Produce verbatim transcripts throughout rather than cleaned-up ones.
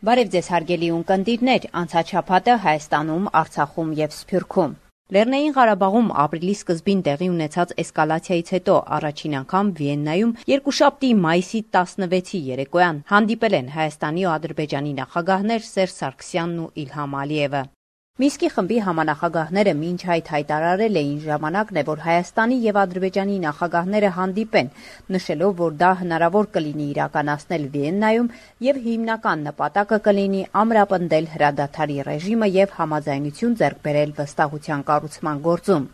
Բարև ձեզ հարգելի ունկնդիրներ, անցած շաբաթը Հայաստանում, Արցախում և Սփյուռքում։ Լեռնային Ղարաբաղում ապրիլի սկզբին տեղի ունեցած էսկալացիայից հետո առաջին անգամ Վիեննայում երկուշաբթի մայիսի տասնվեցի երեկոյան հանդիպել են Հայաստանի ու Ադրբեջանի նախագահներ Սերժ Սարգսյանն ու Իլհամ Ալիևը։ Մինսկի խմբի համանախագահները մինչ այդ հայտարարել էին ժամանակն է, որ Հայաստանի և Ադրբեջանի նախագահները հանդիպեն, նշելով, որ դա հնարավոր կլինի իրականացնել Վիեննայում և հիմնական նպատակը կլինի ամրապնդել հրադադարի ռեժիմը և համաձայնություն ձեռք բերել վստահության կառուցման գործում։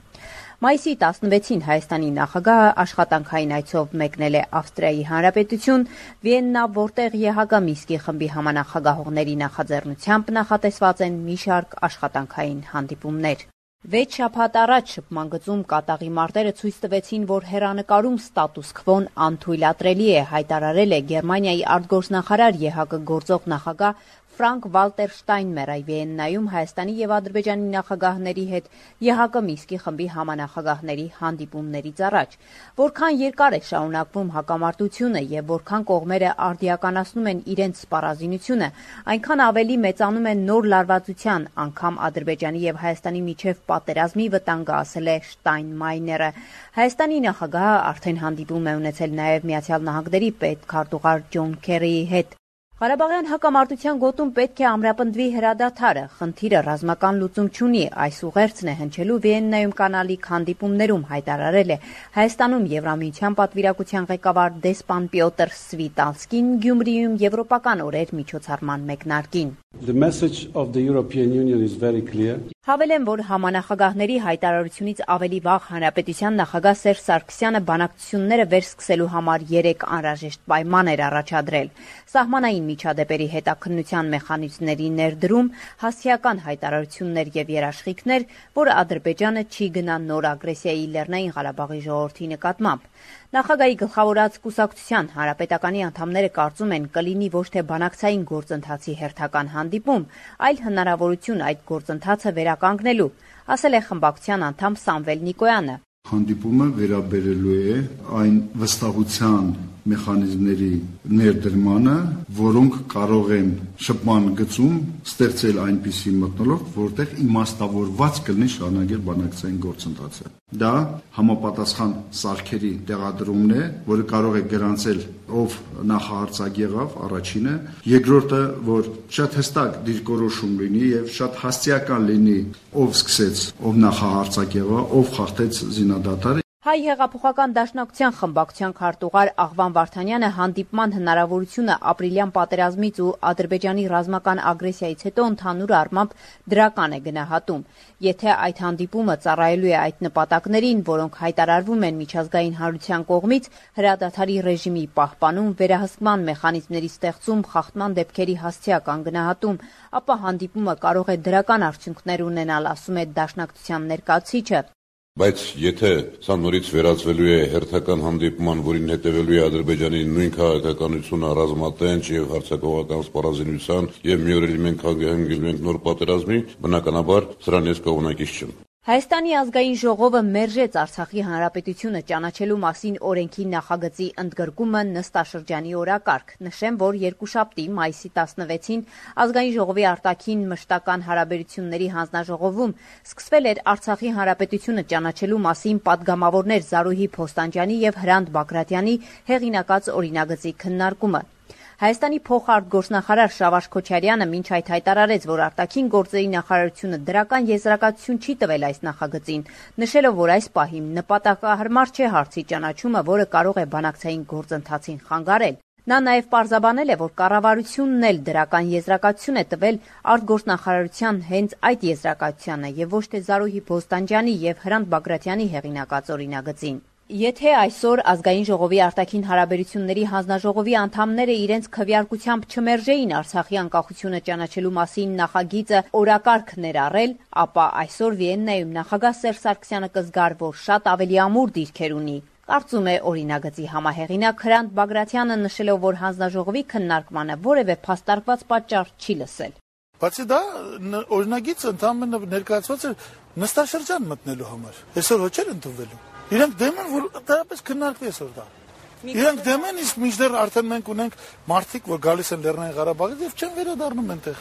Մայիսի տասնվեցին Հայաստանի նախագահը աշխատանքային այցով մեկնել է Ավստրիայի Հանրապետություն, Վիեննա, որտեղ ԵՀԿ Մինսկի խմբի համանախագահողների նախաձեռնությամբ նախատեսված են մի շարք աշխատանքային հանդիպումներ։ Վեց շաբաթ առաջ շփման գծում կատաղի մարտերը ցույց տվեցին, որ հեռանկարում ստատուս քվոն անթույլատրելի է, հայտարարել է Գերմանիայի արտգործնախարար ԵՀԿ գործող նախագահ Ֆրանկ Վալտեր Շտայնմերը Վիեննայում Հայաստանի և Ադրբեջանի նախագահների հետ ԵՀԿ Մինսկի խմբի համանախագահների հանդիպումներից առաջ։ Որքան երկար է շարունակվում հակամարտությունը և որքան կողմերը արդիականացնում են իրենց սպառազինությունը, այնքան ավելի մեծանում է նոր լարվածության, անգամ Ադրբեջանի և Հայաստանի միջև պատերազմի վտանգը, ասել է Շտայնմայները։ Հայաստանի նախագահը արդեն հանդիպում է ունեցել նաև Միացյալ Նահանգների պետքարտուղար Ջոն Քերիի հետ։ Ղարաբաղյան հակամարտության գոտում պետք է ամրապնդվի հրադադարը, խնդիրը ռազմական լուծում չունի, այս ուղերձն է հնչելու Վիեննայում կանալիք հանդիպումներում, հայտարարել է Հայաստանում Եվրամիության պատվիրակության ղեկավար դեսպան Պյոտր Սվիտանսկին Գյումրիում եվրոպական օրեր միջոցառման մեկնարկին։ The message of the European Union is very clear. Հավելեմ, որ համանախագահների հայտարարությունից ավելի վաղ Հանրապետության նախագահ Սերժ Սարգսյանը բանակցությունները վերսկսելու համար երեք անհրաժեշտ պայման էր առաջադրել։ Սահմանային միջադեպերի հետաքննության մեխանիզմների ներդրում, հասցեական հայտարարություններ և երաշխիքներ, որ Ադրբեջանը չի գնա նոր ագրեսիայի Լեռնային Ղարաբաղի ժողովրդի նկատմամբ։ Նախագահի գլխավորած կուսակցության հանրապետականի անդամները կարծում են կլինի ոչ թե բանակցային գործընթացի հերթական հանդիպում, այլ հնարավորություն այդ գործընթացը վերականգնելու, ասել է խմբակցության անդամ Սամվել Նիկոյանը։ Հանդիպումը վերաբերելու է այն վստահության մեխանիզմների ներդրմանը, որոնք կարող են շփման գծում ստեղծել այնպիսի մթնոլորտ, որտեղ իմաստավորված կլինի շարունակել բանակցային գործընթացը։ Դա համապատասխան սարքերի տեղադրումն է, որը կարող է գրանցել ով նախահարցակ եղավ, առաջինը, երկրորդը, որ շատ հստակ դիրքորոշում լինի եւ շատ հասցեական լինի, ով սկսեց, ով նախահարցակ եղավ, ով խախտեց զինադատարը։ Հայ հեղափոխական դաշնակցության խմբակցության քարտուղար Աղվան Վարդանյանը հանդիպման հնարավորությունը ապրիլյան պատերազմից ու Ադրբեջանի ռազմական ագրեսիայից հետո ընդհանուր առմամբ դրական է գնահատում։ Եթե այդ հանդիպումը ծառայելու է այդ նպատակներին, որոնք հայտարարվում են միջազգային հանրության կողմից, հրադադարի ռեժիմի պահպանում, վերահսկման մեխանիզմների ստեղծում, խախտման դեպքերի հասցեական գնահատում, ապա հանդիպումը կարող է դրական արդյունքներ ունենալ, ասում է դաշնակցության ներկայացուցիչը։ Բայց եթե սա նորից վերածվելու է հերթական հանդիպման, որին հետևելու է Ադրբեջանի նույն քաղաքականությունը ռազմատենչ եւ հարձակողական սպառազինության եւ մի օր էլ մենք հանգեցնում ենք նոր պատերազմի, բնականաբար սրան ես կողմնակից չեմ։ Հայաստանի ազգային ժողովը մերժեց Արցախի հանրապետությունը ճանաչելու մասին օրենքի նախագծի ընդգրկումը նստաշրջանի օրակարգ։ Նշեմ, որ երկուշաբթի մայիսի տասնվեցին ազգային ժողովի արտաքին մշտական հարաբերությունների հանձնաժողովում սկսվել էր Արցախի հանրապետությունը ճանաչելու մասին պատգամավորներ Զարուհի Փոստանջյանի եւ Հրանտ Բագրատյանի հեղինակած օրինագծի քննարկումը։ Հայաստանի փոխարտգործնախարար Շավարժ Քոչարյանը մինչ այդ հայտարարեց, որ արտաքին գործերի նախարարությունը դրական եզրակացություն չի տվել այս նախագծին, նշելով, որ այս պահին նպատակահարմար չէ հարցի ճանաչումը, որը կարող է բանակցային գործընթացին խանգարել։ Նա նաև պարզաբանել է, որ կառավարությունն էլ դրական եզրակացություն է տվել արտգործնախարարության հենց այդ եզրակացությանը եւ ոչ թե Զարուհի Փոստանջյանի եւ Հրանտ Բագրատյանի հեղինակած օրինագծին։ Եթե այսօր ազգային ժողովի արտաքին հարաբերությունների հանձնաժողովի անդամները իրենց քվեարկությամբ չմերժեին Արցախի անկախությունը ճանաչելու մասին նախագիծը օրակարգ ներառել, ապա այսօր Վիեննայում նախագահ Սերժ Սարգսյանը կզգար, որ շատ ավելի ամուր դիրքեր ունի։ Կարծում է օրինագծի համահեղինակ Հրանտ Բագրատյանը, նշելով, որ հանձնաժողովի քննարկմանը որևէ փաստարկված պատճառ չի լսել։ Բացի դա օրինագիծը ընդհանրապես ներկայացված է նստաշրջան մտնելու համար։ Այսօր ոչ էլ ընդունվելու։ Իրենք դեմ են, որ դրապես քննարկվի այսօր դա։ Իրանք դեմ են, իսկ մինչդեռ արդեն մենք ունենք մարդիկ, որ գալիս են Լեռնային Ղարաբաղից եւ չեն վերադառնում այնտեղ։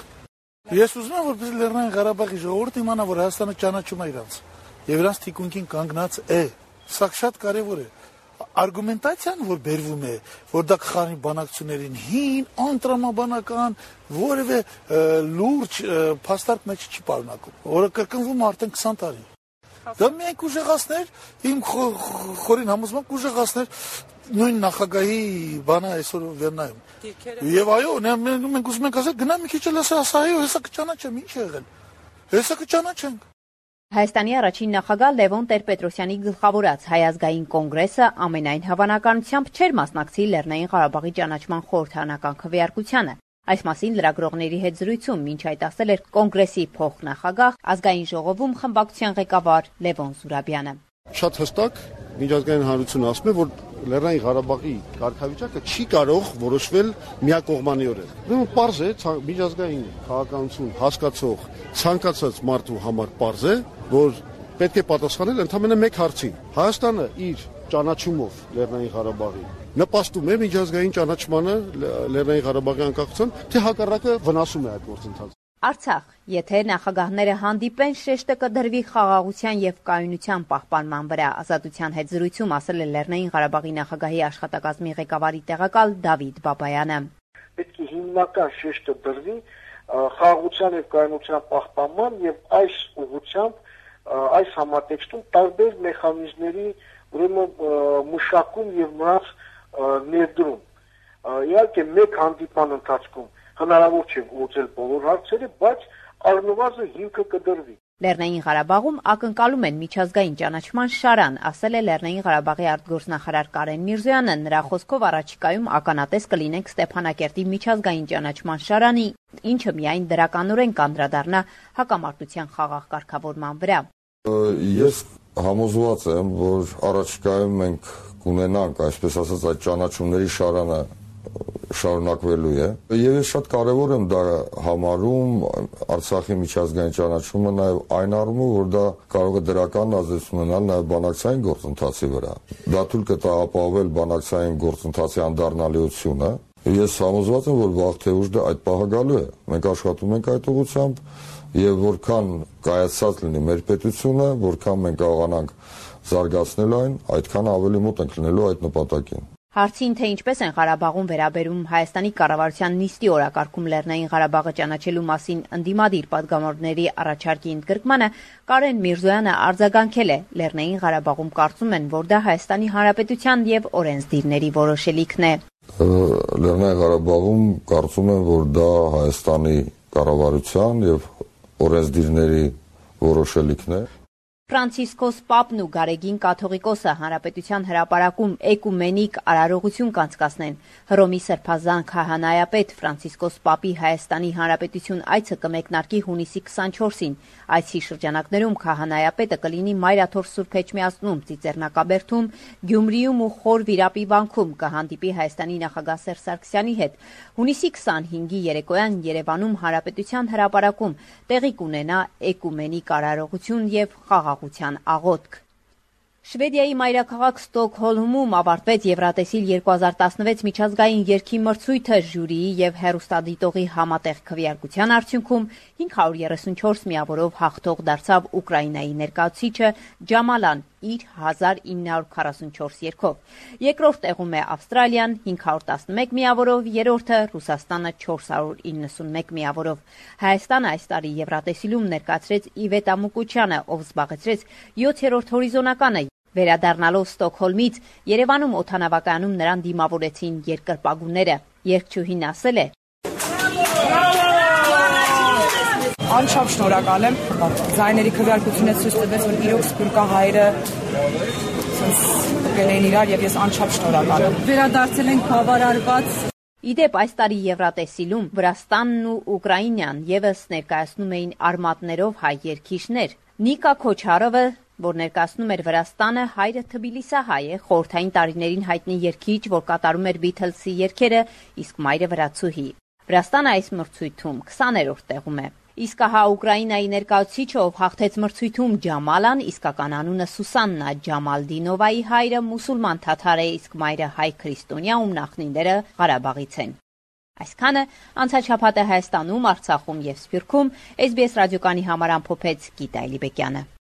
Ես ուզում եմ, որպես Լեռնային Ղարաբաղի ժողովուրդ իմանա, որ Հայաստանը ճանաչում է իրանց եւ իրանց թիկունքին կանգնած է։ Սա շատ կարեւոր է։ Արգումենտացիան, որ բերվում է, որ դա կխառնի բանակցություններին, հին, անտրամաբանական, որևէ լուրջ փաստարկ մեջ չի պարունակում, որը կրկնվում է արդեն քսան տարի։ Դա միայն կուժեղացներ, իմ խորին համոզմամբ կուժեղացներ նույն նախագահի բանը այսօր վերնայում։ Եվ այո, մենք ուզում ենք ասել, գնա մի քիչ էլ ասա, այո, հեսա կճանաչեմ, ինչ է եղել։ Հեսա կճանաչենք։ Հայաստանի առաջին նախագահ Լևոն Տեր-Պետրոսյանի գլխավորած Հայ ազգային կոնգրեսը ամենայն հավանականությամբ չէր մասնակցի Լեռնային Ղարաբաղի ճանաչման խորհրդարանական քվեարկությանը։ Այս մասին լրագրողների հետ զրույցում մինչ այդ ասել էր կոնգրեսի փոխնախագահ, ազգային ժողովում խմբակցության ղեկավար Լևոն Զուրաբյանը։ Շատ հստակ միջազգային հանրությունը ասում է, որ Լեռնային Ղարաբաղի կարգավիճակը չի կարող որոշվել միակողմանիորեն։ Ուրեմն պարզ է, միջազգային քաղաքականություն հասկացող ցանկացած մարդու համար պարզ է, որ պետք է պատասխանել ընդամենը մեկ հարցի։ Հայաստանը իր ճանաչումով Լեռնային Ղարաբաղի նպաստում է միջազգային ճանաչմանը Լեռնային Ղարաբաղի անկախության, թե հակառակը վնասում է այդ գործընթացը։ Արցախ, եթե նախագահները հանդիպեն, շեշտը կդրվի խաղաղության եւ կայունության պահպանման վրա, Ազատության հետ զրույցում ասել է Լեռնային Ղարաբաղի նախագահի աշխատակազմի ղեկավարի տեղակալ Դավիթ Բաբայանը։ Պետք է հիմնական շեշտը դրվի խաղաղության եւ կայունության պահպանման եւ այս ուղղությամբ այս համատեքստում տարբեր մեխանիզմների ուրեմն մշակում եւ նրանց ներդրում։ Իհարկե մեկ հանդիպման ընթացքում հնարավոր չէ լուծել բոլոր հարցերը, բայց առնվազն հիմքը կդրվի։ Լեռնային Ղարաբաղում ակնկալում են միջազգային ճանաչման շարան, ասել է Լեռնային Ղարաբաղի արտգործնախարար Կարեն Միրզոյանը, նրա խոսքով առաջիկայում ականատես կլինենք Ստեփանակերտի միջազգային ճանաչման շարանի, ինչը միայն դրականորեն կանդրադառնա հակամարտության խաղաղ կարգավորման վրա։ Ես համոզված եմ, որ առաջիկայում մենք կունենանք, այսպես ասած, այդ ճանաչումների շարանը շարունակվելու է։ Եվ ես շատ կարևոր եմ դա համարում Արցախի միջազգային ճանաչումը նաև այն առումով, որ դա կարող է դրական ազդեցություն ունենալ նաև բանակցային գործընթացի վրա։ Դա թույլ կտա ապահովել բանակցային գործընթացի անդառնալիությունը։ Ես համոզված եմ, որ վաղ թե ուշ դա այդ պահը գալու է։ Մենք աշխատում ենք այդ ուղղությամբ եւ որքան կայացած լինի մեր պետությունը, որքան մենք կարողանանք զարգացնել այն, այդքան ավելի մոտ ենք լինելու այդ նպատակին։ Հարցին, թե ինչպես են Ղարաբաղում վերաբերում Հայաստանի կառավարության նիստի օրակարգում Լեռնային Ղարաբաղը ճանաչելու մասին ընդդիմադիր պատգամավորների առաջարկի ընդգրկմանը, Կարեն Միրզոյանը արձագանքել է. Լեռնային Ղարաբաղում կարծում են, որ դա Հայաստանի Հանրապետության եւ օրենսդիրների որոշելիքն է։ Լեռնային Ղարաբաղում կարծում են, որ դա Հայաստանի կառավարության եւ օրենսդիրների որոշելիքն է։ Ֆրանցիսկոս Պապն ու Գարեգին կաթողիկոսը Հանրապետության հրապարակում էկումենիկ արարողություն կանցկացնեն։ Հռոմի Սրբազան քահանայապետ Ֆրանցիսկոս Պապի Հայաստանի Հանրապետություն այցը կմեկնարկի հունիսի քսանչորսին։ Այցի շրջանակներում քահանայապետը կլինի Մայրաթոր Սուրբ Էջմիածնում, Ծիծեռնակաբերդում, Գյումրիում ու Խոր Վիրապի վանքում, կհանդիպի Հայաստանի նախագահ Սերժ Սարգսյանի հետ։ Հունիսի քսանհինգի երեկոյան Երևանում Հանրապետության հրապարակում տեղի կունենա էկումենիկ արարողություն եւ խաղաղության աղոթք։ Շվեդիայի մայրաքաղաք Ստոկհոլմում ավարտվեց Եվրատեսիլ երկու հազար տասնվեց միջազգային երգի մրցույթը ժյուրիի եւ հեռուստադիտողի համատեղ քվեարկության արդյունքում հինգ հարյուր երեսունչորս միավորով հաղթող դարձավ Ուկրաինայի ներկայացուցիչը Ջամալան իր հազար ինը հարյուր քառասունչորս երգով։ Երկրորդ տեղում է Ավստրալիան հինգ հարյուր տասնմեկ միավորով, երրորդը Ռուսաստանը չորս հարյուր իննսունմեկ միավորով։ Հայաստանը այս տարի Եվրատեսիլում ներկայացրեց Իվետ Ամուկուչյանը, ով զբաղեցրեց յոթերորդ հորիզոնականը։ Վերադառնալով Ստոկհոլմից Երևանում օդանավակայանում նրան դիմավորեցին երկրպագուները։ Երգչուհին ասել է. Անչափ շնորհակալ եմ։ Ձայների քվեարկությունը ցույց տվեց, որ իրոք սփյուռքահայերը կգնեն իրար եւ ես անչափ շնորհակալ եմ։ Վերադարձել ենք բավարարված։ Իդեպ այս տարի Եվրատեսիլում Վրաստանն ու Ուկրաինան եւս ներկայացնում էին արմատներով հայ երգիչներ։ Նիկա Քոչարովը, որ ներկայացնում էր Վրաստանը, հայրը թբիլիսահայ է, խորհրդային տարիներին հայտնի երգիչ, որ կատարում էր Բիթլսի երգերը, իսկ մայրը վրացուհի։ Վրաստանը այս մրցույթում քսաներորդ տեղում է։ Իսկ հա Ուկրաինայի ներկայացուցիչը, ով հաղթեց մրցույթում Ջամալան, իսկական անունը Սուսաննա Ջամալդինովայի հայրը մուսուլման թաթար է, իսկ մայրը հայ քրիստոնյա, ում նախնիները Ղարաբաղից են։ Այսքանը անցած շաբաթ Հայաստանում, Արցախում եւ Սփյուռքում էս բի էս ռադիոկանի համար ամփոփեց Գիտա Էլիբեկյանը։